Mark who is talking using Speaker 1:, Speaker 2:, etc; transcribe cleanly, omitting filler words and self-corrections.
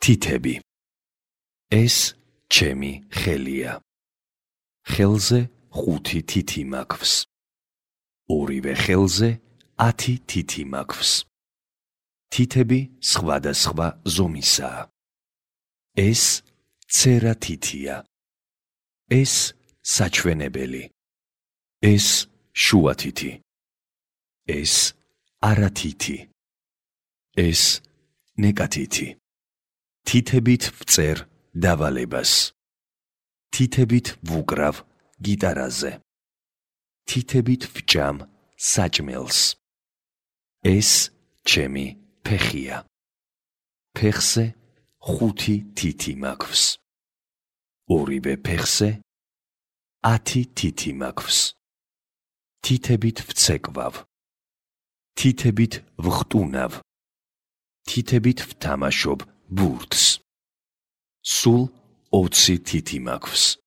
Speaker 1: თითები. ეს ჩემი ხელია. ხელზე 5 თითი მაქვს. ორივე ხელზე 10 თითი მაქვს. თითები სხვადასხვა ზომისაა. ეს ცერა თითია. ეს საჩვენებელი. ეს შუა თითი. ეს არა თითი. ეს ნეკა თითი. თითებით ვწერ დავალებას. თითებით ვუკრავ გიტარაზე. თითებით ვჭამ საჭმელს. ეს ჩემი ფეხია. ფეხზე 5 თითი მაქვს. ორივე ფეხზე 10 თითი მაქვს. თითებით ვცეკვავ. თითებით ვხტუნავ. თითებით ვთამაშობ ბურთს. სულ 20 თითი მაქვს.